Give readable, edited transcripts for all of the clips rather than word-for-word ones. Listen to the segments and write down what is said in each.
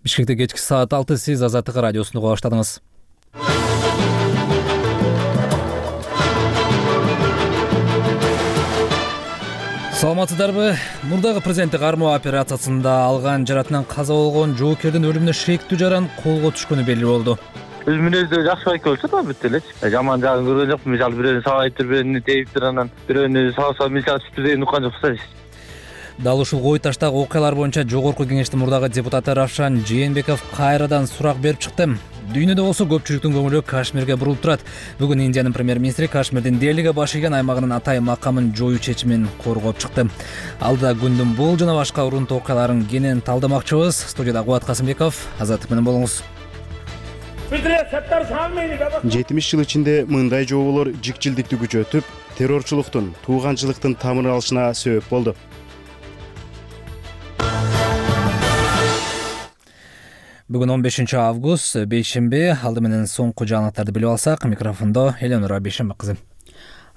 Бишкекте кечки саат 6 сиз Азаттык радиосун уга баштадыңыз. Саламатсыздарбы? Мурдагы президенттик кармоо операциясында алган жаратынан каза болгон жоокердин өлүмүнө шектүү жаран колго түшкөнү белгилүү болду. Өз мүнөздө жакшы байке болчу да бүт элечи. Жаман жагын көргөн жокмун. Мисалы бирөөнү сабайыптыр, бирөөнү териптир, анан бирөөнү сабаса мисалы сүттү деген уккан жокпуз. Дал ушул Кой Таштагы окуялар боюнча Жогорку Кеңештин мурдагы депутаты Равшан Жээнбеков кайрадан сурак берип чыкты. Дүйнөдө болсо көпчүлүктүн көңүлү Кашмирге бурулуп турат. Бүгүн Индиянын премьер-министри Кашмирдин Делиге баш ийген аймагынын атайын макамын жоюу чечимин коргоп чыкты. Алдыда күндүн бул жана башка урунтуу окуяларын кенен талдамакчыбыз. Студияда Кубат Касымбеков, Азаттык менен болуңуз. 70 жыл ичинде мындай жооболор жикчилдикти күчөтүп, террорчулуктун, тууганчылыктын тамырын алышына себеп болду. Бүгүн 15 август, бейшемби. Алды менен соңку жаңылыктарды билип алсак, микрофондо Эленора Бейшембек кызы.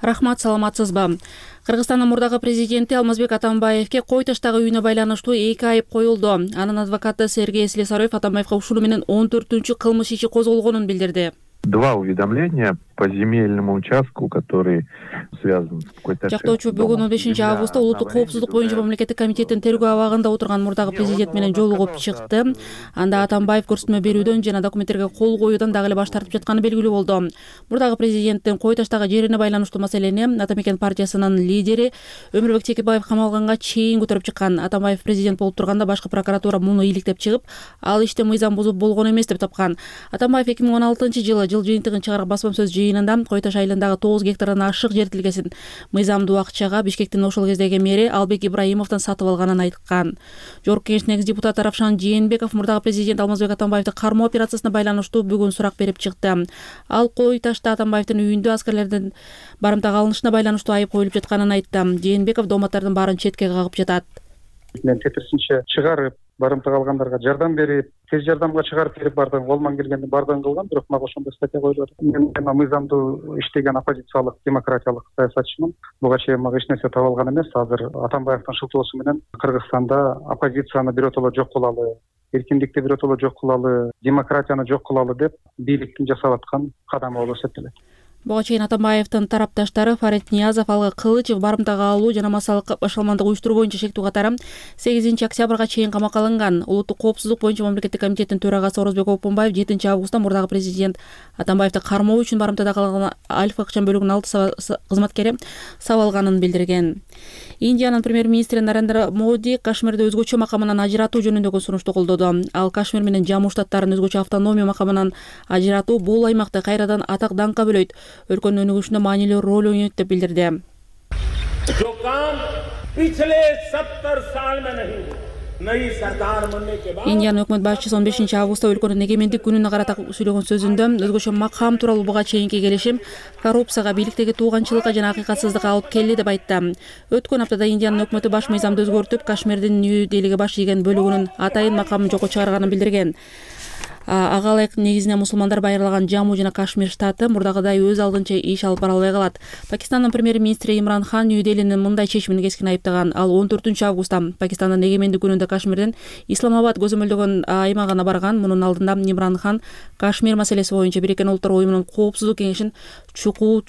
Рахмат, саламатсызбы? Кыргызстандын мурдагы президенти Алмазбек Атамбаевке Кой Таштагы үйүнө байланыштуу 2 айып коюлду. Анын адвокаты Сергей Слесарев Атамбаевга ушуну менен 14-чү кылмыш иши козголгонун билдирди. 2 уведомления по земельному участку, который связан с Кой Ташем. Жактоочу бүгүн 15 августта улуттук коопсуздук боюнча мамлекеттик комитеттин тергөө абагында отурган мурдагы президент менен жолугуп чыкты. Анда Атамбаев көрсөтмө берүүдөн жана документтерге кол коюудан дагы эле баш тартып жатканы белгилүү болду. Мурдагы президенттин Кой Таштагы жерине байланыштуу маселени Атамекен партиясынын лидери Өмүрбек Текебаев камалганга чейин көтөрүп чыккан. Атамбаев президент болуп турганда башкы прокуратура муну иликтеп чыгып, ал иште мыйзам бузуп болгон эмес деп тапкан. Атамбаев 2016-жылы жыл жыйынтыгын чыгарып басма сөз жыйынында Кой Таш айылындагы 9 гектардан ашык жер тилгесин мыйзамдуу акчага Бишкектин ошол кездеги мэри Албек Ибраимовдон сатып алганын айткан. Жогорку Кеңештин экс депутаты Равшан Жээнбеков мурдагы президент Алмазбек Атамбаевди кармоо операциясына байланыштуу бүгүн сурак берип чыкты. Ал Кой Ташта Атамбаевдин үйүндө аскерлердин барымтага алынышына байланыштуу айып коюлуп жатканын айтты. Жээнбеков дооматтардын баарын четке кагып жатат. Мен тетирсинче чыгарып, барымтага алгандарга жардам берип, тез жардамга чыгарып берип бардым. Колуман келгенди бардыгын кылган, бирок мага ошондой статья коюлуп атат. Мен мыйзамдуу иштеген оппозициялык, демократиялык саясатчымын. Буга чейин мага эч нерсе таба алган эмес. Азыр Атамбаевдин шылтоосу менен Кыргызстанда оппозицияны биротоло жок кылалы, эркиндикти биротоло жок кылалы, демократияны жок кылалы деп бийликтин жасап аткан кадамы болуп эсептелет. Буга чейин Атамбаевдин тарапташтары Фарид Ниязов, Алга Кылычев барымтага алуу жана массалык башкалмандык уюштуруу боюнча шектүү катары 8-октябрга чейин камакка алынган. Улуттук коопсуздук боюнча мамлекеттик комитеттин төрагасы Орозбек Опунбаев 7 августта мурдагы президент Атамбаевди кармоо үчүн барымтада калган Альфа акчан бөлүгүнүн 6 кызматкери сабалганын билдирген. Индиянын премьер-министри Нарендра Моди Кашмирди өзгөчө макамынан ажыратуу жөнүндөгү сунушту колдоду. Ал Кашмир менен Жамму штаттарын өзгөчө автономия макамынан ажыратуу бул аймакты кайрадан атак даңкка бөлөйт, өлкөнүн өнүгүшүнө маанилүү роль ойнойт деп билдирди. Индиянын өкмөт башчысы 15 августта өлкөнүн эгемендик күнүнө карата сүйлөгөн сөзүндө өзгөчө макам тууралуу буга чейинки келишим коррупцияга, бийликтеги тууганчылыкка жана акыйкатсыздыкка алып келди деп айтты. Өткөн аптада Индиянын өкмөтү баш мыйзамды өзгөртүп, Кашмирдин Нью Делиге баш ийген бөлүгүнүн атайын макамын жокко чыгарганын билдирген. Ага ылайык негизинен мусулмандар байырлаган Жамму жана Кашмир штаты мурдагыдай өз алдынча иш алып бара албай калат. Пакистандын премьер-министри Имран Хан Нью Делинин мындай чечимин кескин айыптаган. Ал 14-августта Пакистандын эгемендик күнүндө Кашмирдин Исламабад көзөмөлдөгөн аймагына барган. Мунун алдында Имран Хан Кашмир маселеси боюнча Бириккен Улуттар уюмунун коопсуздук кеңешин чукул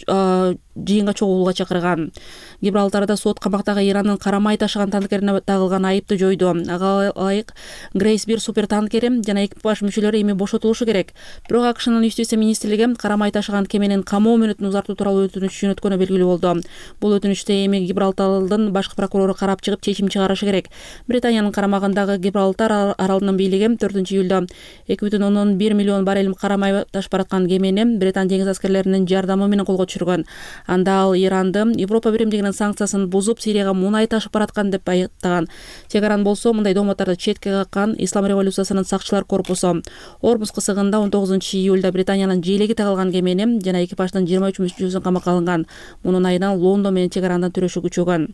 жыйынга чогулууга чакырган. Гибралтарда сот камактагы Ирандын карамай ташыган танкерине тагылган айыпты жойду. Ага ылайык Грейс 1 супер танкери жана экипаж мүчөлөрү эми бошотулушу керек. Бирок АКШнын Юстиция министрлиги карамай ташыган кеменин камоо мөөнөтүн узартуу тууралуу өтүнүч жөнөткөнү белгилүү болду. Бул өтүнүчтү эми Гибралтардын башкы прокурору карап чыгып чечим чыгарышы керек. Британиянын карамагындагы Гибралтар аралынын бийлиги 4-июлда 2,1 миллион баррель карамай ташып бараткан кемени Британ деңиз аскерлеринин жардамы менен колго түшүргөн. Анда ал Иранды Европа биримдигинин санкциясын бузуп Сирияга мунай ташып бараткан деп айыптаган. Тегаран болсо мындай дооматтарды четке каккан Ислам революциясынын сакчылар корпусу. Ормуз кысыгында 19-июлда Британиянын желеги тагылган кемени жана экипаждын 23 мүчөсү камакка алынган. Мунун айынан Лондон менен Тегарандан төрөшү күчөгөн.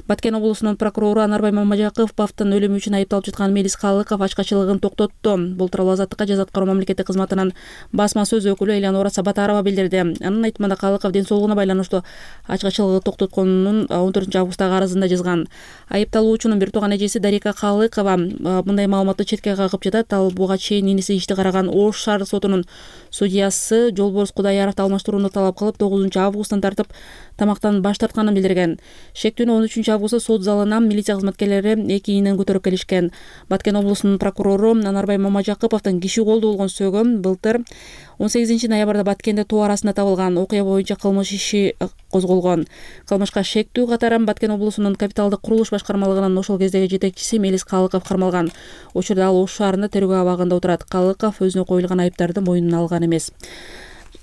Баткен облусунун прокурору Анарбай Мамажаковдун өлүмү үчүн айыпталып жаткан Мелис Калыков ачкачылыгын токтотту. Бул тууралуу Азаттыкка жаза аткаруу мамлекеттик кызматынын басма сөз өкүлү Элеонора Сабатарова билдирди. Анын анын айтымында Калыков ден соолугуна байланыштуу ачкачылыгы токтотконун 14-августтагы арызында жазган. Айыпталуучунун бир тууган эжеси Дарика Калыкова мындай маалыматты четке кагып жатат. Ал буга чейин иниси ишти караган Ош шаардык сотунун судьясы Жолборс Кудаяровду алмаштырууну талап кылып 9-августтан тартып тамактан баш тартканын билдирген. Шектүүнү 13-августта сот залына милиция кызматкерлери 2 ийинен көтөрүп келишкен. Баткен облусунун прокурору Анарбай Мамажакыповдун киши колдуу болгон сөөгү былтыр 18-ноябрда Баткенде тоо арасында табылган. Окуя боюнча кылмыш иши козголгон. Кылмышка шектүү катары Баткен облусунун капиталдык курулуш башкармалыгынын ошол кездеги жетекчиси Мелис Калыков кармалган. Учурда ал Ош шаарында тергөө абагында отурат. Калыков өзүнө коюлган айыптарды мойнуна алган эмес.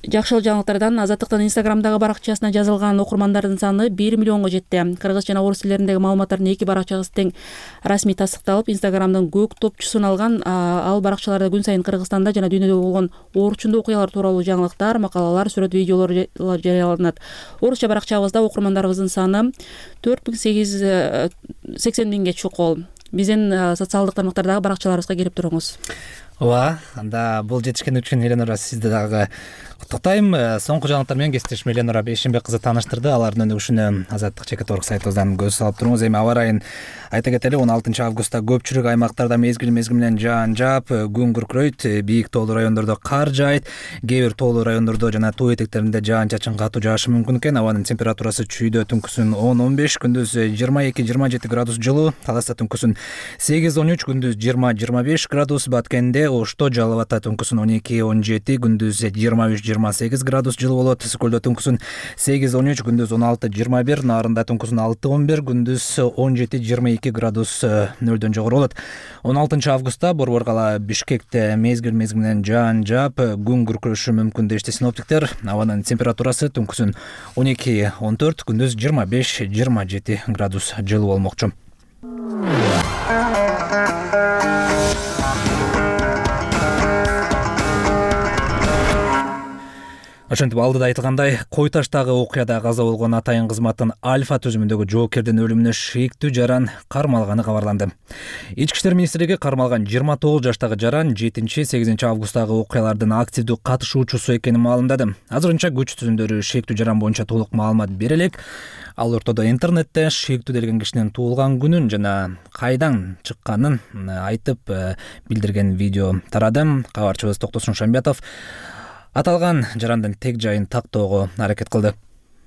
Жакшы жаңылыктардан Азаттыктын Инстаграмдагы баракчасына жазылган окурмандардын саны 1 миллионго жетти. Кыргыз жана орус тилдериндеги маалыматтардын 2 баракчасы тең расмий тастыкталып, Инстаграмдын көк топчусун алган. Ал баракчаларда күн сайын Кыргызстанда жана дүйнөдө болгон орчундуу окуялар тууралуу жаңылыктар, макалалар, сүрөт, видеолор жарыяланат. Орусча баракчабызда окурмандарыбыздын саны 4880 миңге чукул. Биздин социалдык тармактардагы баракчаларыбызга кирип туруңуз. Ооба, анда бул жетишкен үчүн Эленора сизди дагы куттуктайм. Соңку жаңылыктар менен кесиптешим Эленора Бейшенбек кызы тааныштырды. Алардын өнүгүшүнө Азаттык /org сайтыбыздан көз салып туруңуз. Эми аба ырайын айта кетели, 16-августта көпчүлүк аймактарда мезгил менен жаан жаап, күн күркүрөйт, бийик тоолуу райондордо кар жаайт, кээ бир тоолуу райондордо жана тоо этектеринде жаан-чачын катуу жаашы мүмкүн экен. Абанын температурасы чүйдө түнкүсүн 10-15, күндүз 22-27 градус жылуу, Таласта түнкүсүн 8-13, күндүз 20-25 градус, Баткенде, Ошто, Жалал Абадта түнкүсүн 12-17, күндүз 23-28 градус жылуу болот. Ысык-Көлдө түнкүсүн 8-13, күндүз 16-21, Нарында түнкүсүн 6-11, күндүз 17-22 градус нөлдөн жогору болот. 16-августта Борбор кала Бишкекте мезгил менен жаан жаап, күн күркүрөшү мүмкүн дешти синоптиктер. Абанын температурасы түнкүсүн 12-14, күндүз 25-27 градус жылуу болмокчу. Ошентип алдыда айтылгандай, Кой Таштагы окуяда каза болгон атайын кызматтын Альфа түзүмүндөгү жоокердин өлүмүнө шектүү жаран кармалганы кабарланды. Ички иштер министрлиги кармалган 29 жаштагы жаран 7-8 августтагы окуялардын активдүү катышуучусу экенин маалымдады. Азырынча күч түзүмдөрү шектүү жаран боюнча толук маалымат бере элек. Ал ортодо интернетте шектүү делген кишинин туулган күнүн жана кайдан чыкканын айтып билдирген видео тарады. Кабарчыбыз Токтосун Шамбетов аталган жарандын тег жайын тактоого аракет кылды.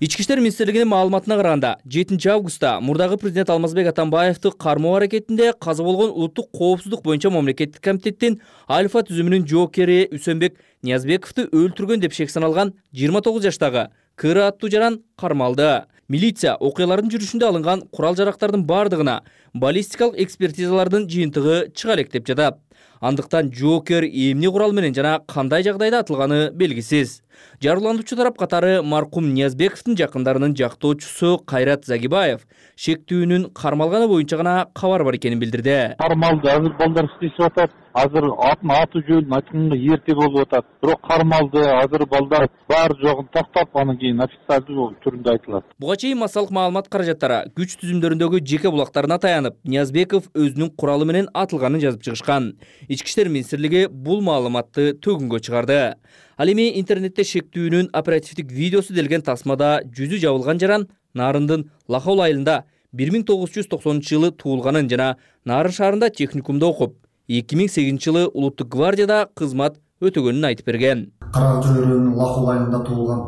Ички иштер министрлигинин маалыматына караганда, 7-августта мурдагы президент Алмазбек Атамбаевди кармоо аракетинде каза болгон Улуттук коопсуздук боюнча мамлекеттик комитеттин Альфа түзүмүнүн жоокери Үсөнбек Ниязбековду өлтүргөн деп шек саналган 29 жаштагы Кыра аттуу жаран кармалды. Милиция окуялардын жүрүшүндө алынган курал-жарактардын бардыгына баллистикалык экспертизалардын жыйынтыгы чыга элек деп жатат. Андыктан жоокер эмне курал менен жана кандай жагдайда атылганы белгисиз. Жарыландыруучу тарап катары маркум Ниязбековдун жакындарынын жактоочусу Кайрат Загибаев шектүүнүн кармалганы боюнча гана кабар бар экенин билдирди. Кармалды, азыр балдар иштешип атат. Азыр атын аты жөнүн айтканга эрте болуп атат. Бирок кармалды, азыр балдар бар жогун тактап, анан кийин официалдуу түрүндө айтылат. Буга чейин массалык маалымат каражаттары күч түзүмдөрүндөгү жеке булактарына таянып, Ниязбеков өзүнүн куралы менен атылганын жазып чыгышкан. Ички иштер министрлиги бул маалыматты төгүнгө чыгарды. Ал эми интернетте шектүүнүн оперативдик видеосу делген тасмада жүзү жабылган жаран Нарындын Лахол айылында 1990-жылы туулганын жана Нарын шаарында техникумда окуп, 2008-жылы Улуттук гвардияда кызмат өтөгөнүн айтып берген. Карак Жүрөөнүн Лахол айылында туулган.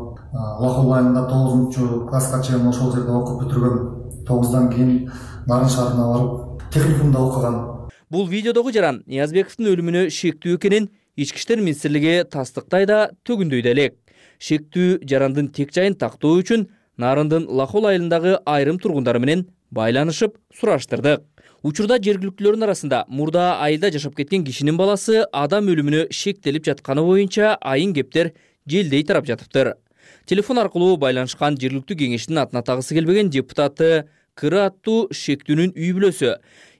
Лахол айылында 9-класска чейин ошол жерде окуп бүтүргөн. 9-дан кийин Нарын шаарына барып, техникумда окуган. Бул видеодогу жаран Ниязбековдун өлүмүнө шектүү экенин Ички иштер министрлиги тастыктай да төгүндөй да элек. Шектүү жарандын тек жайын тактоо үчүн Нарындын Лахол айылындагы айрым тургундары менен байланышып сураштырдык. Учурда жергиликтүүлөрдүн арасында мурда айылда жашап кеткен кишинин баласы адам өлүмүнө шектелип жатканы боюнча айын кептер желдей тарап жатыптыр. Телефон аркылуу байланышкан жергиликтүү кеңештин атын атагысы келбеген депутаты Кыра аттуу шектүүнүн үй бүлөсү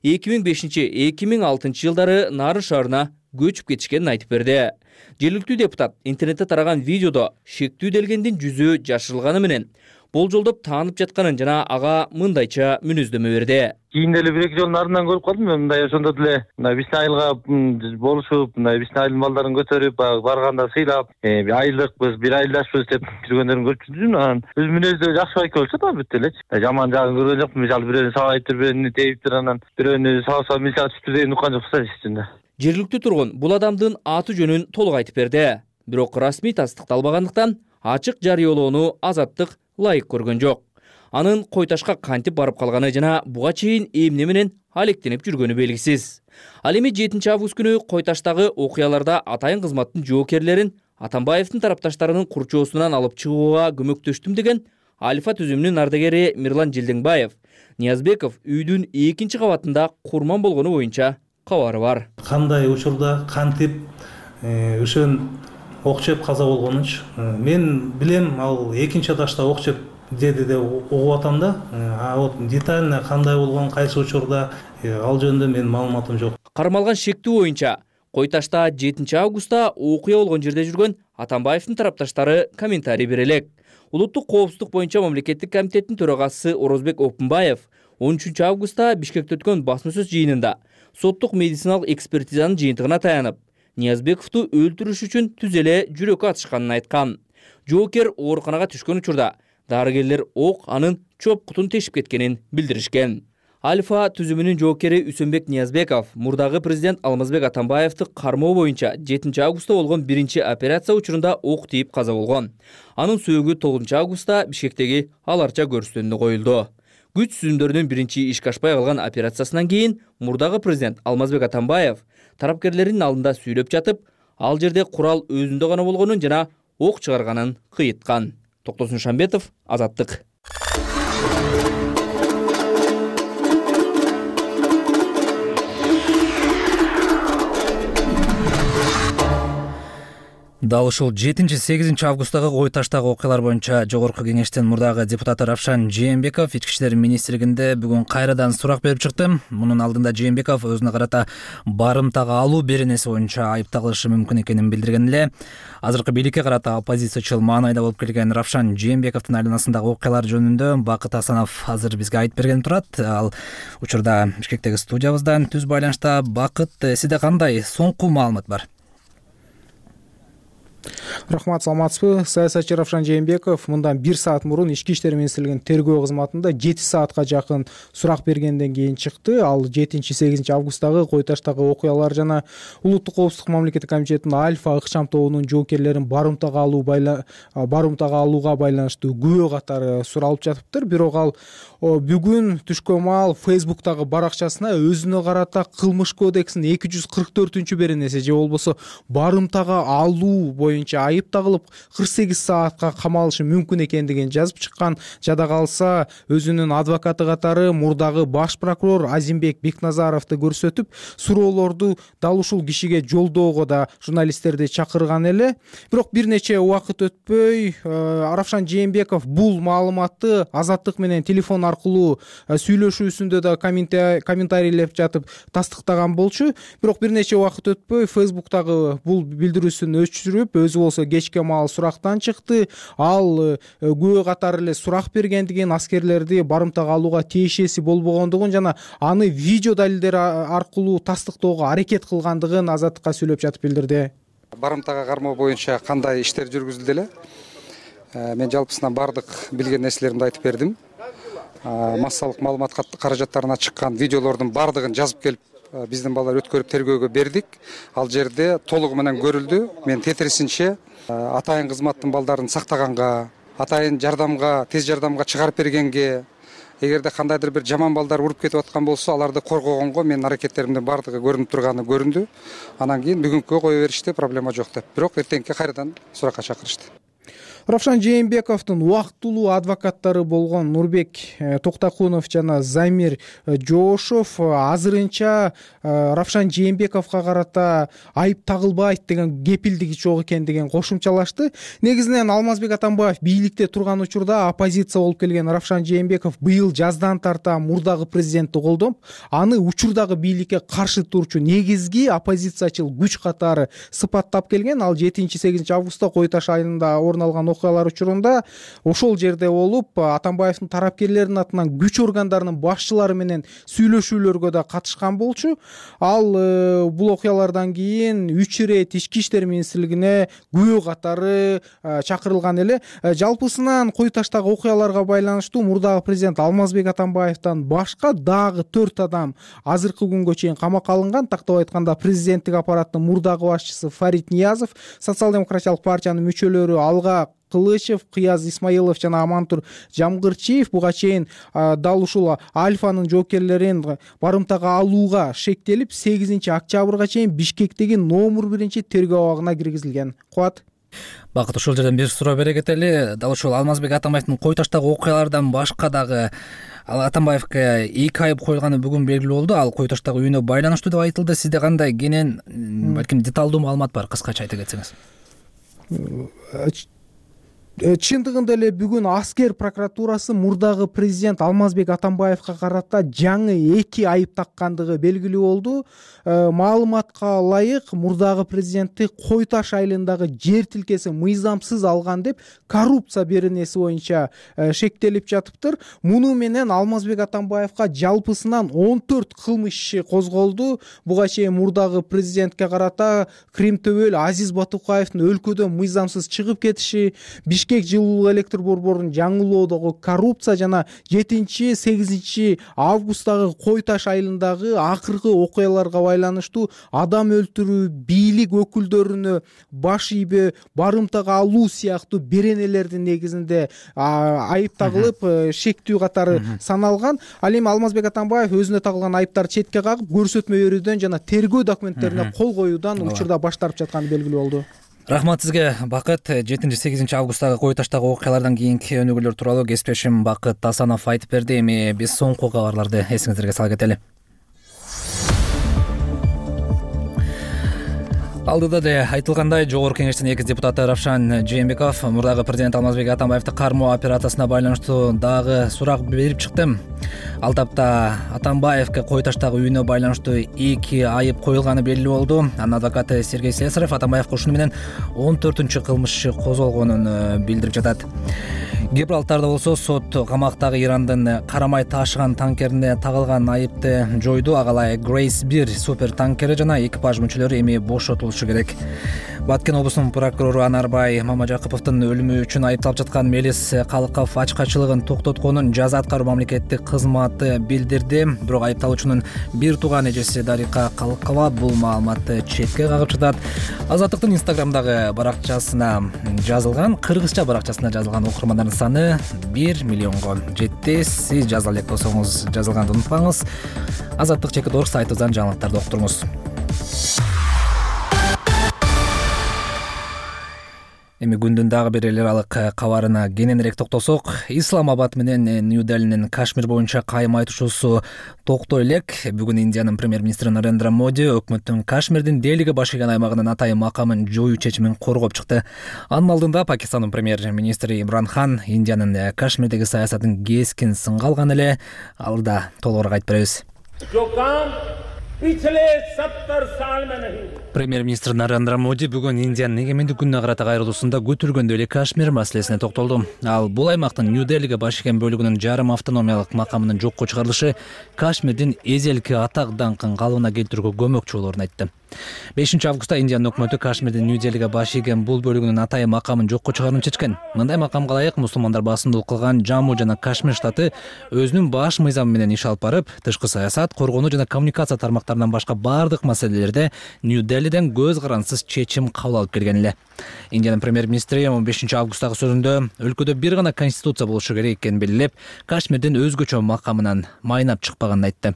2005-2006 жылдары Нарын шаарына көчүп кетишкенин айтып берди. Жергиликтүү депутат интернетте тараган видеодо шектүү делгендин жүзү жашырылганы менен болжолдоп таанып жатканын жана ага мындайча мүнөздөмө берди. Кийин эле 1-2 жолдун ардынан көрүп калдым мен мындай ошондо деле мына Вишнайылга болушуп, мына Вишнайылдын балдарын көтөрүп, барганда сыйлап, айылдыкпыз, бир айылдашпыз деп жүргөндөрүн көрүп жүрдүм. Анан өз мүнөздө жакшы байке болчу да бүт элечи. Жаман жагын көргөн жокмун. Мисалы бирөөнү сабайттыр, бирөөнү теиптир, анан бирөөнү сабаса мисалы түштү деген уккан жокпуз ичинде. Жергиликтүү тургун бул адамдын аты жөнүн толук айтып берди. Бирок расмий тастыкталбагандыктан ачык жарыялоону Азаттык ылайык көргөн жок. Анын Кой Ташка кантип барып калганы жана буга чейин эмне менен алектенип жүргөнү белгисиз. Ал эми 7 август күнү Кой Таштагы окуяларда атайын кызматтын жоокерлерин Атамбаевдин тарапташтарынын курчоосунан алып чыгууга көмөктөштүм деген Альфа түзүмүнүн ардагери Мирлан Желдеңбаев Ниязбеков үйдүн 2 кабатында курман болгону боюнча кабары бар. Кандай учурда кантип ошон ок жеп каза болгонунчу мен билем, ал 2 этажда ок жеп деди деп угуп атам да. Вот детально кандай болгон, кайсы учурда ал жөнүндө менин маалыматым жок. Кармалган шектүү боюнча Кой Ташта 7 августта окуя болгон жерде жүргөн Атамбаевдин тарапташтары комментарий бере элек. Улуттук коопсуздук боюнча мамлекеттик комитеттин төрагасы Орозбек Опунбаев 13 августта Бишкекте өткөн басма сөз жыйынында соттук медициналык экспертизанын жыйынтыгына таянып, Ниязбековду өлтүрүш үчүн түз эле жүрөккө атышканын айткан. Жоокер ооруканага түшкөн учурда дарыгерлер ок анын чоп кутун тешип кеткенин билдиришкен. Альфа түзүмүнүн жоокери Үсөнбек Ниязбеков мурдагы президент Алмазбек Атамбаевди кармоо боюнча 7 августта болгон биринчи операция учурунда ок тийип каза болгон. Анын сөөгү 9 августта Бишкектеги Аларча көрүстөнүнө коюлду. Күч түзүмдөрүнүн биринчи ишке ашпай калган операциясынан кийин мурдагы президент Алмазбек Атамбаев тарапкерлердин алдында сүйлөп жатып, ал жерде курал өзүндө гана болгонун жана ок чыгарганын кыйыткан. Токтосун Шамбетов, Азаттык. Дал ушул 7-8 августтагы Кой Таштагы окуялар боюнча Жогорку кеңештин мурдагы депутаты Равшан Жээнбеков Ички иштер министрлигинде бүгүн кайрадан сурак берип чыкты. Мунун алдында Жээнбеков өзүнө карата барымтага алуу беренеси боюнча айыпталышы мүмкүн экенин билдирген эле. Азыркы бийликке карата оппозициячыл маанайда болуп келген Равшан Жээнбековдун айланасындагы окуялар жөнүндө Бакыт Асанов азыр бизге айтып берген турат. Ал учурда Бишкектеги студиябызда түз байланышта. Бакыт, сизде кандай соңку маалымат бар? Рахмат, саламатсызбы? Саясатчы Равшан Жээнбеков мындан 1 саат мурун Ички иштер министрлигинин тергөө кызматында 7 саатка жакын сурак бергенден кийин чыкты. Ал 7-8 августтагы Кой Таштагы окуялар жана Улуттук коопсуздук мамлекеттик комитетинин Альфа ыкчам тобунун жоокерлерин барымтага алууга байланыштуу күбө катары суралып жатыптыр. Бирок ал бүгүн түшкөн маал Facebook'тагы баракчасына өзүнө карата кылмыш кодексинин 244 беренеси же болбосо барымтага алуу боюнча айып тагылып 48 саатка камалышы мүмкүн экендигин жазып чыккан. Жада калса өзүнүн адвокаты катары мурдагы баш прокурор Азимбек Бекназаровду көрсөтүп, суроолорду дал ушул кишиге жолдоого да журналисттерди чакырган эле. Бирок бир нече убакыт өтпөй Равшан Жээнбеков бул маалыматты Азаттык менен телефон аркылуу сүйлөшүүсүндө да комментарийлеп жатып тастыктаган болчу. Бирок бир нече убакыт өтпөй Facebook'тагы бул билдирүүсүн өчүрүп, өзү болсо кечке маал сурактан чыкты. Ал күбө катары эле сурак бергендигин, аскерлерди барымтага алууга тиешеси болбогондугун жана аны видео далилдер аркылуу тастыктоого аракет кылгандыгын Азаттыкка сүйлөп жатып билдирди. Барымтага кармоо боюнча кандай иштер жүргүзүлдү эле? Мен жалпысынан бардык билген нерселеримди айтып бердим. Массалык маалымат каражаттарына чыккан видеолордун бардыгын жазып келип биздин балдар өткөрүп тергөөгө бердик. Ал жерде толугу менен көрүлдү. Мен тетрисинче атайын кызматтын балдарын сактаганга, атайын жардамга, тез жардамга чыгарып бергенге, эгерде кандайдыр бир жаман балдар уруп кетип аткан болсо, аларды коргогонго менин аракеттеримдин бардыгы көрүнүп турганы көрүндү. Анан кийин бүгүнкүгө кое беришти, проблема жок деп. Бирок эртеңки кайрадан суракка чакырышты. Равшан Жээнбековдун убактылуу адвокаттары болгон Нурбек Токтакунов жана Замир Жоошов азырынча Равшан Жээнбековго карата айып тагылбайт деген кепилдиги жок экендигин кошумчалашты. Негизинен Алмазбек Атамбаев бийликте турган учурда оппозиция болуп келген Равшан Жээнбеков быйыл жаздан тарта мурдагы президентти колдоп, аны учурдагы бийликке каршы турчу негизги оппозициячыл күч катары сыпаттап келген. Ал 7-8 августта Кой Таш айылында орун алган окуялар учурунда ошол жерде болуп Атамбаевдин тарапкерлеринин атынан күч органдарынын башчылары менен сүйлөшүүлөргө да катышкан болчу. Ал бул окуялардан кийин 3 ирет ички иштер министрлигине күбө катары чакырылган эле. Жалпысынан Кой таштагы окуяларга байланыштуу мурдагы президент Алмазбек Атамбаевден башка дагы 4 адам азыркы күнгө чейин камакка алынган. Тактап айтканда президенттик аппараттын мурдагы башчысы Фарид Ниязов, социал-демократиялык партиянын мүчөлөрү Алга Кылычев, Кыяз Исмаилов жана Амантур Жамгырчиев буга чейин дал ушул Альфанын жоокерлерин барымтага алууга шектелип 8 октябрга чейин Бишкектеги номер 1 тергөө абагына киргизилген. Кубат. Бакыт, ушул жерден бир суроо бере кетели. Дал ушул Алмазбек Атамбаевдин Кой таштагы окуялардан башка дагы Атамбаевге 2 айып коюлганы бүгүн белгилүү болду. Ал Кой таштагы үйүнө байланыштуу деп айтылды. Сизде кандай кенен, балким деталдуу маалымат бар? Кыскача айта кетсеңиз. Чындыгында эле бүгүн аскер прокуратурасы мурдагы президент Алмазбек Атамбаевга карата жаңы 2 айып таккандыгы белгилүү болду. Маалыматка ылайык, мурдагы президентти Кой таш айылындагы жер тилкеси мыйзамсыз алган деп коррупция беренеси боюнча шектелип жатыптыр. Муну менен Алмазбек Атамбаевга жалпысынан 14 кылмыш иши козголду. Буга чейин мурдагы президентке карата Крим төбөл Азиз Батукаевдин өлкөдөн мыйзамсыз чыгып кетиши, Бишкек жылуу электр борборун жаңылоодогу коррупция жана 7-8 августтагы Кой таш айылындагы акыркы окуяларга байланыштуу адам өлтүрүү, бийлик өкүлдөрүнө баш ийбөө, барымтага алуу сыяктуу беренелердин негизинде айып тагылып, шектүү катары саналган. Ал эми Алмазбек Атамбаев өзүнө тагылган айыптарды четке кагып, көрсөтмө берүүдөн жана тергөө документтерине кол коюудан учурда баш тартып жатканы белгилүү болду. Рахмат сизге, Бакыт. 7-8 августтагы Кой таштагы окуялардан кийинки өнүгүүлөр тууралуу кесиптешим Бакыт Асанов айтып берди. Эми биз соңку кабарларды эсиңиздерге сала кетели. Алдыда да айтылгандай, Жогорку Кеңештин экс депутаты Равшан Жээнбеков мурдагы президент Алмазбек Атамбаевди кармоо операциясына байланыштуу дагы сурак берип чыкты. Ал тапта Атамбаевге Кой таштагы үйүнө байланыштуу 2 айып коюлганы белгилүү болду. Анын адвокаты Сергей Слесарев Атамбаевге ушуну менен 14 кылмыш иши козголгонун билдирип жатат. Гибралтарда болсо сот камактагы Ирандын карамай ташыган танкерине тагылган айыпты жойду. Агалай Грейс 1 супер танкери жана экипаж мүчөлөрү эми бошотулушу керек. Баткен облусунун прокурору Анарбай Мамажакыповдун өлүмү үчүн айыпталып жаткан Мелис Калыков ачкачылыгын токтотконун жаза аткаруу мамлекеттик кызматы билдирди. Бирок айыпталуучунун бир тууган эжеси Дарика Калыкова бул маалыматты четке кагып жатат. Азаттыктын Инстаграмдагы баракчасына жазылган, кыргызча баракчасына жазылган окурмандардын саны 1 миллионго жетти. Сиз жаза элек болсоңуз жазылганды унутпаңыз. Азаттык.org сайтыбыздан жаңылыктарды окутуңуз. Эми күндүн дагы бир эл аралык кабарына кененирээк токтолсок, Исламабад менен Нью-Делинин Кашмир боюнча кайым айтышуусу токтой элек. Бүгүн Индиянын премьер-министри Нарендра Моди өкмөттүн Кашмирдин Делиге баш ийген аймагынын атайын макамын жоюу чечимин коргоп чыкты. Анын алдында Пакистандын премьер-министри Имран Хан Индиянын Кашмирдеги саясатын кескин сынга алган эле. Алда толугураак айтып беребиз. Премьер-министр Нарендра Моди бүгүн Индиянын эгемендик күнүнө карата кайрылуусунда көтөргөндөй эле Кашмир маселесине токтолду. Ал бул аймактын Нью-Делиге баш ийген бөлүгүнүн жарым автономиялык макамынын жокко чыгарылышы Кашмирдин эзелки атак даңкын калыбына келтирүүгө көмөкчү болоорун айтты. 5 августта Индиянын өкмөтү Кашмирдин Нью-Делиге баш ийген бул бөлүгүнүн атайын макамын жокко чыгарууну чечкен. Мындай макамга ылайык мусулмандар басымдуулук кылган Жамму жана Кашмир штаты өзүнүн баш мыйзамы менен иш алып барып, тышкы саясат, коргонуу жана коммуникация тармактарынан башка бардык маселелерде Нью-Делиден көз карансыз чечим кабыл алып келген эле. Индиянын премьер-министри 15 августтагы сөзүндө өлкөдө бир гана конституция болушу керек экенин белгилеп, Кашмирдин өзгөчө макамынан майнап чыкпаганын айтты.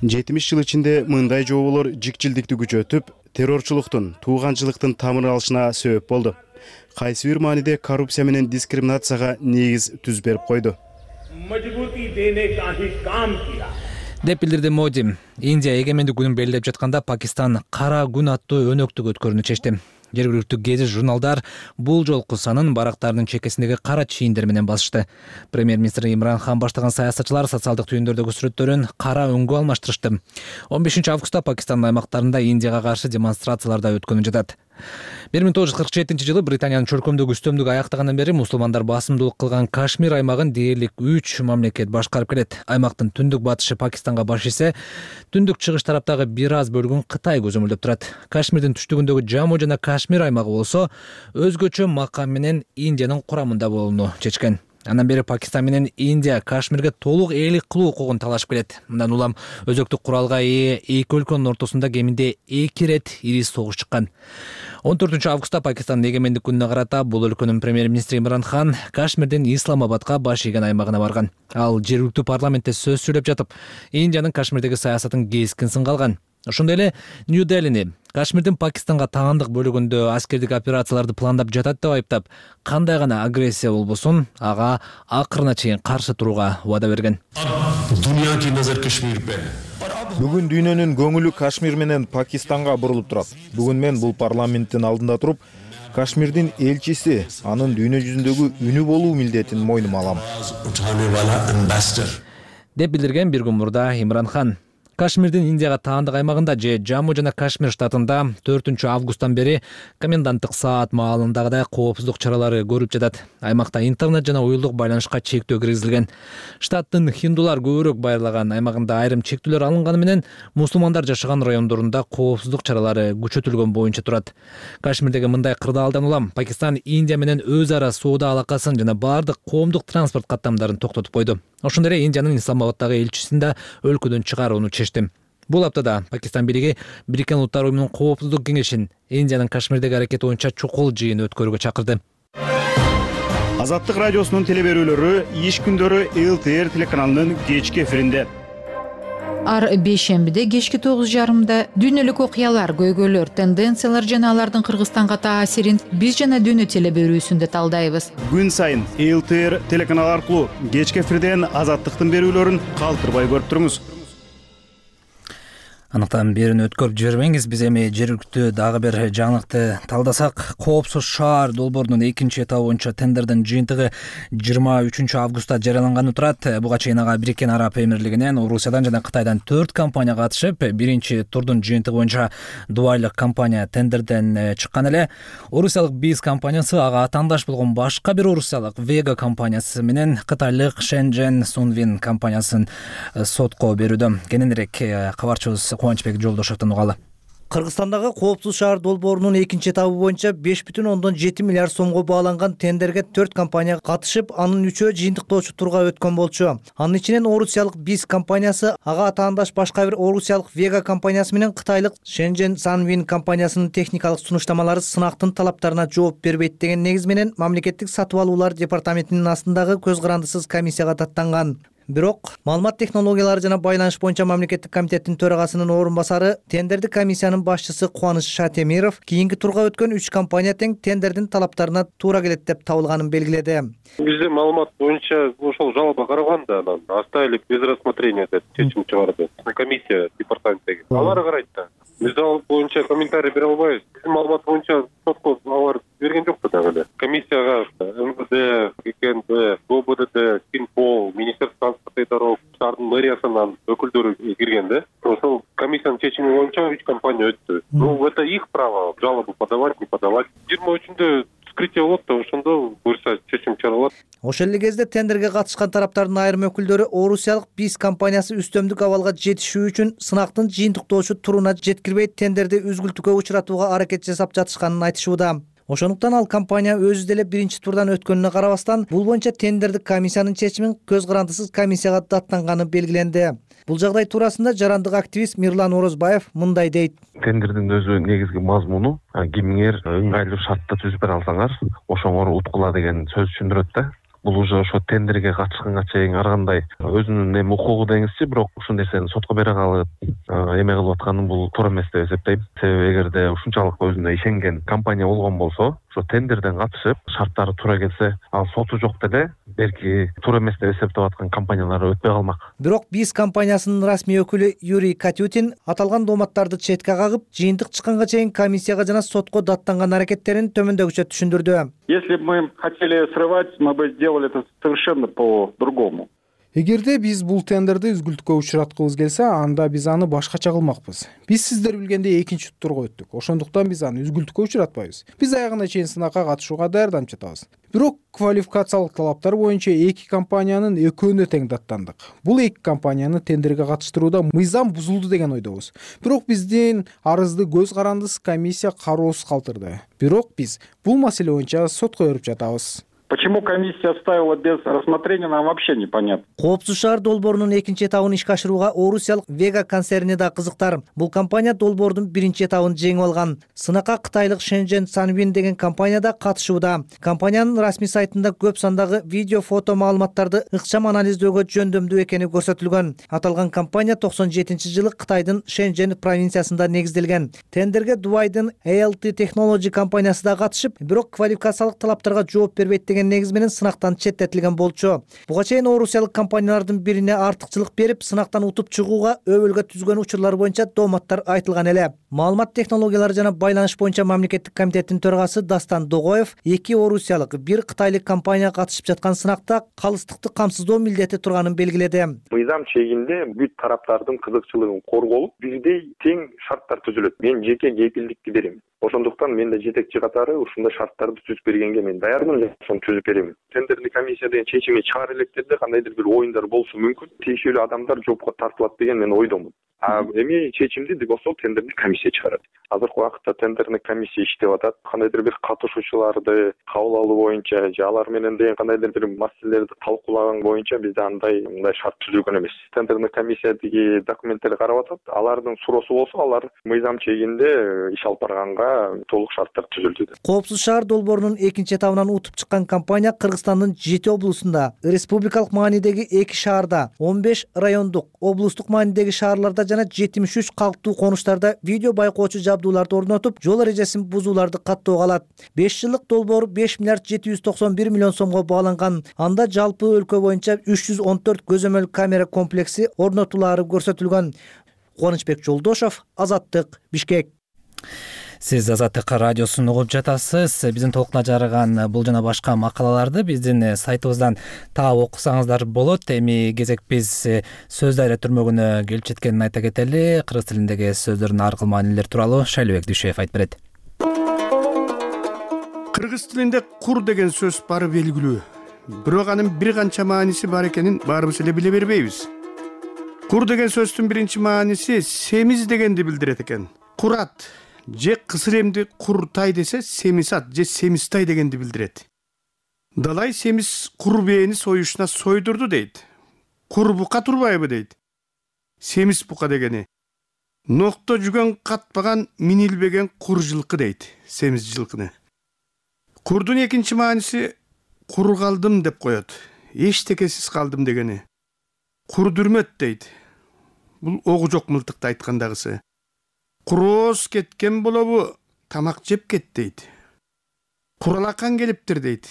70 жыл ичинде мындай жоболор жикчилдикти күчөтүп, террорчулуктун, тууганчылыктын тамыр алышына себеп болду. Кайсы бир мааниде коррупция менен дискриминацияга негиз түз берип койду деп билдирди Моди. Индия эгемендик күнүн белгилеп жатканда Пакистан кара күн аттуу өнөктүк өткөрүүнү чечти. Жергиликтүү гезит журналдар бул жолку санын барактардын чекесиндеги кара чийиндер менен басышты. Премьер-министр Имран Хан баштаган саясатчылар социалдык түйүндөрдөгү сүрөттөрүн кара өңгө алмаштырышты. 15 августта Пакистандын аймактарында Индияга каршы демонстрациялар да өткөнүп жатат. 1947-жылы Британиянын чөлкөмдөгү үстөмдүк аяктагандан бери мусулмандар басымдуулук кылган Кашмир аймагын дээрлик 3 мамлекет башкарып келет. Аймактын түндүк батышы Пакистанга баш ийсе, түндүк чыгыш тараптагы бир аз бөлүгүн Кытай көзөмөлдөп турат. Кашмирдин түштүгүндөгү Жаму жана Кашмир аймагы болсо өзгөчө макам менен Индиянын курамында болууну чечкен. Андан бери Пакистан менен Индия Кашмирге толук ээлик кылуу укугун талашып келет. Мындан улам өзөктүк куралга ээ эки өлкөнүн ортосунда кеминде 2 ирет ири согуш чыккан. 14 августта Пакистандын эгемендик күнүнө карата бул өлкөнүн премьер-министри Имран Хан Кашмирдин Исламабадга баш ийген аймагына барган. Ал жергиликтүү парламентте сөз сүйлөп жатып, Индиянын Кашмирдеги саясатын кескин сынга алган. Ошондой эле Нью-Делини Кашмирдин Пакистанга таандык бөлүгүндө аскердик операцияларды пландап жатат деп айыптап, кандай гана агрессия болбосун ага акырына чейин каршы турууга убада берген. Бүгүн дүйнөнүн көңүлү Кашмир менен Пакистанга бурулуп турат. Бүгүн мен бул парламенттин алдында туруп, Кашмирдин элчиси, анын дүйнө жүзүндөгү үнү болуу милдетин мойнума алам, деп билдирген бир күн мурда Имран Хан. Кашмирдин Индияга таандык аймагында же Жаму жана Кашмир штатында 4 августтан бери коменданттык саат маалындагыдай коопсуздук чаралары көрүп жатат. Аймакта интернет жана уюлдук байланышка чектөө киргизилген. Штаттын хиндулар көбүрөөк байырлаган аймагында айрым чектөөлөр алынганы менен мусулмандар жашаган райондорунда коопсуздук чаралары күчөтүлгөн боюнча турат. Кашмирдеги мындай кырдаалдан улам Пакистан Индия менен өз ара соода алакасын жана бардык коомдук транспорт каттамдарын токтотуп койду. Ошондой эле Индиянын Исламабаддагы элчисин да өлкөдөн чыгарууну чечти. Бул аптада Пакистан бийлиги Бириккен Улуттар уюмунун коопсуздук кеңешин Индиянын Кашмирдеги аракети боюнча чукул жыйын өткөрүүгө чакырды. Азаттык радиосунун телеберүүлөрү иш күндөрү ЛТР телеканалынын кечки эфиринде. Ар бейшембиде кечки 9:30 дүйнөлүк окуялар, көйгөйлөр, тенденциялар жана алардын Кыргызстанга таасирин биз жана дүйнө телеберүүсүндө талдайбыз. Күн сайын ЛТР телеканалы аркылуу кечки эфирден Азаттыктын берүүлөрүн калтырбай көрүп туруңуз. Анықтан берін өткөрүп жибербеңиз. Биз эми жергиликтүү дагы бир жаңылыкты талдасак, коопсуз шаар долбоорунун 2 этабы боюнча тендердин жыйынтыгы 23 августта жарыяланганы турат. Буга чейин ага Бириккен Араб Эмирлигинен, Орусиядан жана Кытайдан 4 компания катышып, биринчи турдун жыйынтыгы боюнча Дубайлык компания тендерден чыккан эле. Орусиялык БИЗ компаниясы ага атаандаш болгон башка бир орусиялык Вега компаниясы менен Кытайлык Шэньчжэнь Сунвин компаниясын сотко берүүдө. Кененирээк кабарчыбыз Кубанычбек Жолдошовдон угалы. Кыргызстандагы коопсуз шаар долбоорунун 2 этабы боюнча 5,7 миллиард сомго бааланган тендерге 4 компания катышып, анын 3-өө жыйынтыктоочу турга өткөн болчу. Анын ичинен орусиялык БИЗ компаниясы, ага атаандаш башка бир орусиялык Вега компаниясы менен Кытайлык Шэньчжэнь Сунвин компаниясынын техникалык сунуштамалары сынактын талаптарына жооп бербейт деген негиз менен мамлекеттик сатып алуулар департаментинин астындагы көз карандысыз комиссияга даттанган. Бирок маалымат технологиялары жана байланыш боюнча мамлекеттик комитеттин төрагасынын орун басары, тендердик комиссиянын башчысы Кубаныч Шатемиров кийинки турга өткөн 3 компания тең тендердин талаптарына туура келет деп табылганын белгиледи. Бизде маалымат боюнча ошол жалоба караган да, анан оставили без рассмотрения деп чечим чыгарды. Комиссия департаменттеги. Алар карайт да. Биз ал боюнча комментарий бере албайбыз. Биздин маалымат боюнча сотко алар берген жок да дагы. Комиссияга МВД, КНБ, ГОБДД, Финпол, Министерство транспорта и дорог, шаардын мэриясынан өкүлдөрү кирген да. Ошол комиссиянын чечими боюнча 3 компания өттү. Ну, это их право жалобу подавать, не подавать. 23-үндө вскрытие болот да, ошондо буюрса чечим чыгарылат. Ошол эле кезде тендерге катышкан тараптардын айрым өкүлдөрү орусиялык БИЗ компаниясы үстөмдүк абалга жетишүү үчүн сынактын жыйынтыктоочу туруна жеткирбей тендерди үзгүлтүккө учуратууга аракет жасап жатышканын айтышууда. Ошондуктан ал компания өзү деле биринчи турдан өткөнүнө карабастан, бул боюнча тендердик комиссиянын чечимин көз карандысыз комиссияга даттанганы белгиленди. Бул жагдай туурасында жарандык активист Мирлан Орозбаев мындай дейт. Тендердин өзү негизги мазмуну кимиңер ыңгайлуу шартта түзүп бере алсаңар, ошоңор уткула деген сөз түшүндүрөт да. Бул уже ошо тендерге катышканга чейин ар кандай өзүнүн эми укугу деңизчи, бирок ушул нерсени сотко бере калып эме кылып атканы бул туура эмес деп эсептейм. Себеби эгерде ушунчалык өзүнө ишенген компания болгон болсо, ошо тендерден катышып, шарттары туура келсе, ал соту жок деле белки туура эмес деп эсептеп аткан компаниялар өтпөй калмак. Бирок БИЗ компаниясынын расмий өкүлү Юрий Катютин аталган дооматтарды четке кагып, жыйынтык чыкканга чейин комиссияга жана сотко даттанган аракеттерин төмөндөгүчө түшүндүрдү. Если бы мы хотели срывать, мы бы сделали это совершенно по-другому. Эгерде биз бул тендерди үзгүлтүккө учураткыбыз келсе, анда биз аны башкача кылмакпыз. Биз сиздер билгендей экинчи турга өттүк. Ошондуктан биз аны үзгүлтүккө учуратпайбыз. Биз аягына чейин сынакка катышууга даярданып жатабыз. Бирок квалификациялык талаптар боюнча эки компаниянын экөөнө тең даттандык. Бул эки компанияны тендерге катыштырууда мыйзам бузулду деген ойдобуз. Бирок биздин арызды көз карандысыз комиссия кароосуз калтырды. Бирок биз бул маселе боюнча сотко берип жатабыз. Почему комиссия оставила без рассмотрения, нам вообще непонятно. Коопсуз шаар долбоорунун экинчи этабын ишке ашырууга орусиялык Вега концерни да кызыктар. Бул компания долбоордун биринчи этабын жеңип алган. Сынакка кытайлык Shenzhen Sanwin деген компания да катышууда. Компаниянын расмий сайтында көп сандагы видео, фото маалыматтарды ыкчам анализдөөгө жөндөмдүү экени көрсөтүлгөн. Аталган компания 97-жылы Кытайдын Shenzhen провинциясында негизделген. Тендерге Дубайдын ALT Technology компаниясы да катышып, бирок квалификациялык талаптарга жооп бербейт деген негиз менен сынактан четтетилген болчу. Буга чейин орусиялык компаниялардын бирине артыкчылык берип, сынактан утуп чыгууга өбөлгө түзгөн учурлар боюнча дооматтар айтылган эле. Маалымат технологиялары жана байланыш боюнча мамлекеттик комитеттин төрагасы Дастан Догоев эки орусиялык, бир кытайлык компания катышып жаткан сынакта калыстыкты камсыздоо милдети турганын белгиледи. Мыйзам чегинде бүт тараптардын кызыкчылыгын корголуп, бирдей тең шарттар түзүлөт. Мен жеке кепилдикти берем. Ошондуктан мен да жетекчи катары ушундай шарттарды түзүп бергенге мен даярмын, ошону түзүп берем. Тендердик комиссия деген чечими чыгара электерде кандайдыр бир оюндар болушу мүмкүн. Тийиштүү адамдар жоопко тартылат деген мен ойдомун. Эми чечимди болсо тендердик комиссия чыгарат. Азыркы убакытта тендердик комиссия иштеп атат. Кандайдыр бир катышуучуларды кабыл алуу боюнча же алар менен деген кандайдыр бир маселелерди талкуулаган боюнча бизде мындай шарт түзүлгөн эмес. Тендердик комиссия тиги документтерди карап атат. Алардын суроосу болсо, алар мыйзам чегинде иш алып барганга толук шарттар түзүлдү. Коопсуз шаар долбоорунун экинчи этабынан утуп чыккан компания Кыргызстандын 7 облусунда, республикалык маанидеги 2 шаарда, 15 райондук, облустук маанидеги шаарларда жана 73 калктуу конуштарда видео байкоочу жабдууларды орнотуп, жол эрежесин бузууларды каттоого алат. 5 жылдык долбоор 5 миллиард 791 миллион сомго бааланган. Анда жалпы өлкө боюнча 314 көзөмөл камера комплекси орнотулаары көрсөтүлгөн. Кубанычбек Жолдошов, Азаттык, Бишкек. Сиз Азаттык радиосун угуп жатасыз. Биздин толкуна жарыган бул жана башка макалаларды биздин сайтыбыздан таап окусаңыздар болот. Эми кезек биз сөз дайра түрмөгүнө келип жеткенин айта кетели. Кыргыз тилиндеги сөздөрдүн ар кыл маанилери тууралуу Шайлыбек Дүйшөев айтып берет. Кыргыз тилинде кур деген сөз бары белгилүү. Бирок анын бир канча мааниси бар экенин баарыбыз эле биле бербейбиз. Кур деген сөздүн биринчи мааниси семиз дегенди билдирет экен. Курат же кысыр эмди куртай десе семисат же семистай дегенди билдирет. Далай семиз кур бээни союшуна сойдурду дейт. Кур бука турбайбы дейт. Семиз бука дегени. Нокто жүгөн катпаган минилбеген кур жылкы дейт. Семиз жылкыны. Курдун экинчи мааниси кур калдым деп коет. Эчтекесиз калдым дегени. Курдүрмөт дейт. Бул огу жок мылтыкты айткандагысы. Курооз кеткен болобу, тамак жеп кет дейт. Куралакан келиптир дейт.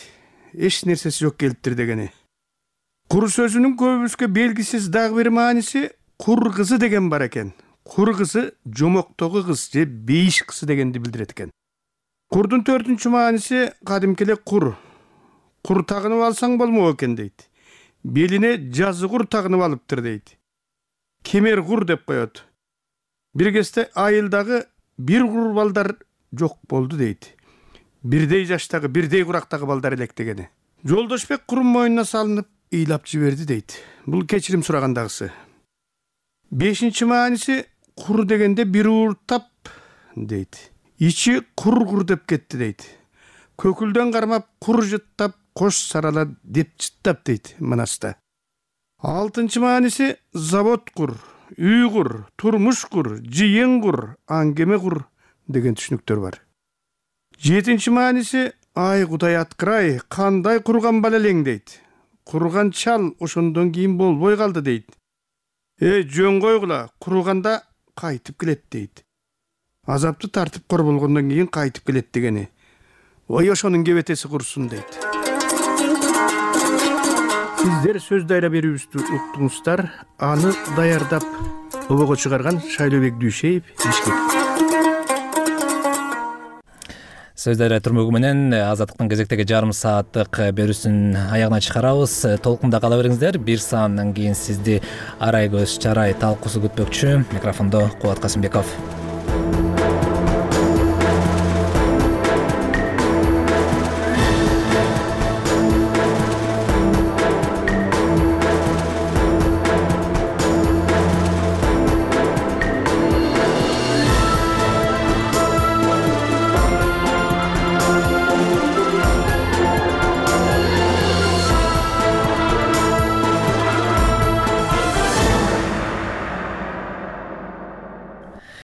Эч нерсеси жок келиптир дегени. Кур сөзүнүн көбүбүзгө белгисиз дагы бир мааниси кур кызы деген бар экен. Кур кызы жомоктогу кыз же бейиш кызы дегенди билдирет экен. Курдун төртүнчү мааниси кадимки эле кур. Кур тагынып алсаң болмок экен дейт. Белине жазы кур тагынып алыптыр дейт. Кемер кур деп коет. Бир кезде айылдагы бир кур балдар жок болду дейт. Бирдей жаштагы, бирдей курактагы балдар элек дегени. Жолдошбек курун мойнуна салынып ыйлап жиберди дейт. Бул кечирим сурагандагысы. Бешинчи мааниси кур дегенде бир ууртап дейт. Ичи кур деп кетти дейт. Көкүлдөн кармап кур жыттап кош сарала деп жыттап дейт манаста. Алтынчы мааниси завод кур, үй кур, турмуш кур, жыйын кур, аңгеме кур деген түшүнүктөр бар. Жетинчи мааниси ай Кудай аткырай, кандай курган бала элең дейт. Курган чал ошондон кийин болбой калды дейт. Жөн койгула, курганда кайтып келет дейт. Азапты тартып кор болгондон кийин кайтып келет дегени. Ой ошонун кебетеси курсун дейт. Сиздер сөз дайра берүүбүздү уктуңуздар. Аны даярдап обого чыгарган Шайлыбек Дүйшөев, Бишкек. Сөз Дарыя түрмөгү менен Азаттыктын кезектеги жарым сааттык берүүсүн аягына чыгарабыз. Толкунда кала бериңиздер. Бир сааттан кийин сизди Арай көз чарай талкуусу күтпөкчү. Микрофондо Кубат Касымбеков.